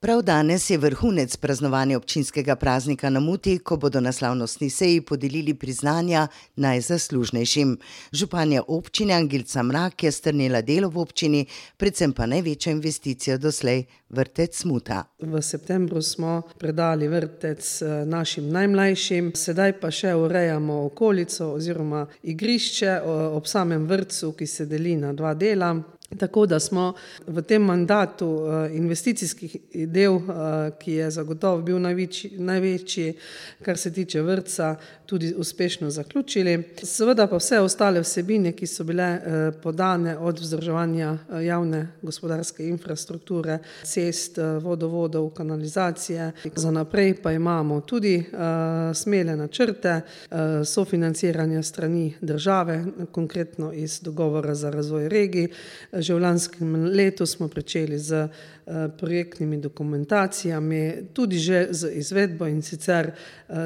Prav danes je vrhunec praznovanja občinskega praznika na Muti, ko bodo na slavnostni seji podelili priznanja najzaslužnejšim. Županja občine Angelca Mrak je strnila delo v občini, predvsem pa največjo investicijo doslej vrtec Muta. V septembru smo predali vrtec našim najmlajšim, sedaj pa še urejamo okolico oziroma igrišče ob samem vrtcu, ki se deli na dva dela. Tako da smo v tem mandatu investicijskih del, ki je zagotovo bil največji, kar se tiče vrtca, tudi uspešno zaključili. Seveda pa vse ostale vsebine, ki so bile podane od vzdrževanja javne gospodarske infrastrukture, cest, vodovodov, kanalizacije. Za naprej pa imamo tudi smele načrte sofinanciranja strani države, konkretno iz dogovora za razvoj regij. Že v lanskem letu smo pričeli z projektnimi dokumentacijami, tudi že z izvedbo, in sicer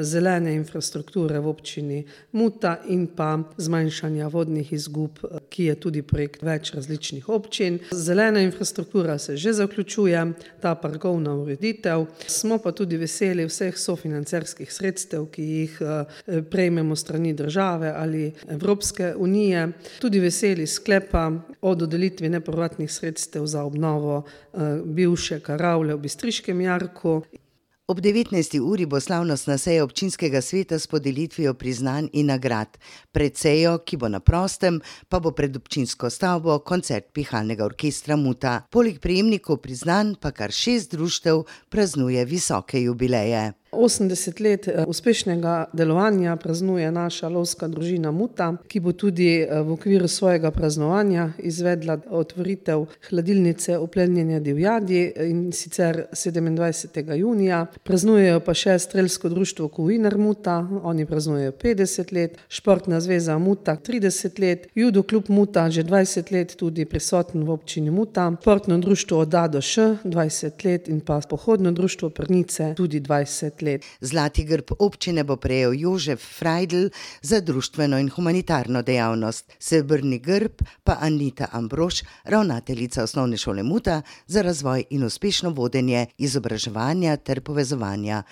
zelene infrastrukture v občini Muta in pa zmanjšanja vodnih izgub, ki je tudi projekt več različnih občin. Zelena infrastruktura se že zaključuje, ta parkovna ureditev. Smo pa tudi veseli vseh sofinancerskih sredstev, ki jih prejmemo strani države ali Evropske unije. Tudi veseli sklepa o dodelitvi nepovratnih sredstev za obnovo bivše karavle v Bistriškem jarku. Ob 19. uri bo slavnostna seja občinskega sveta s podelitvijo priznanj in nagrad. Pred sejo, ki bo na prostem, pa bo pred občinsko stavbo koncert pihalnega orkestra Muta. Poleg prejemnikov priznanj pa kar 6 društev praznuje visoke jubileje. 80 let uspešnega delovanja praznuje naša lovska družina Muta, ki bo tudi v okviru svojega praznovanja izvedla otvoritev hladilnice oplenjene divjadi, in sicer 27. junija. Praznujejo pa še strelsko društvo Kovinar Muta, oni praznujejo 50 let, Športna zveza Muta 30 let, Judo klub Muta že 20 let tudi prisoten v občini Muta, Športno društvo Dado Š 20 let in pa Pohodno društvo Prnice tudi 20 let. Zlati grb občine bo prejel Jožef Frajdl za društveno in humanitarno dejavnost, srebrni grb pa Anita Ambrož, ravnateljica osnovne šole Muta, za razvoj in uspešno vodenje izobraževanja ter povezovanja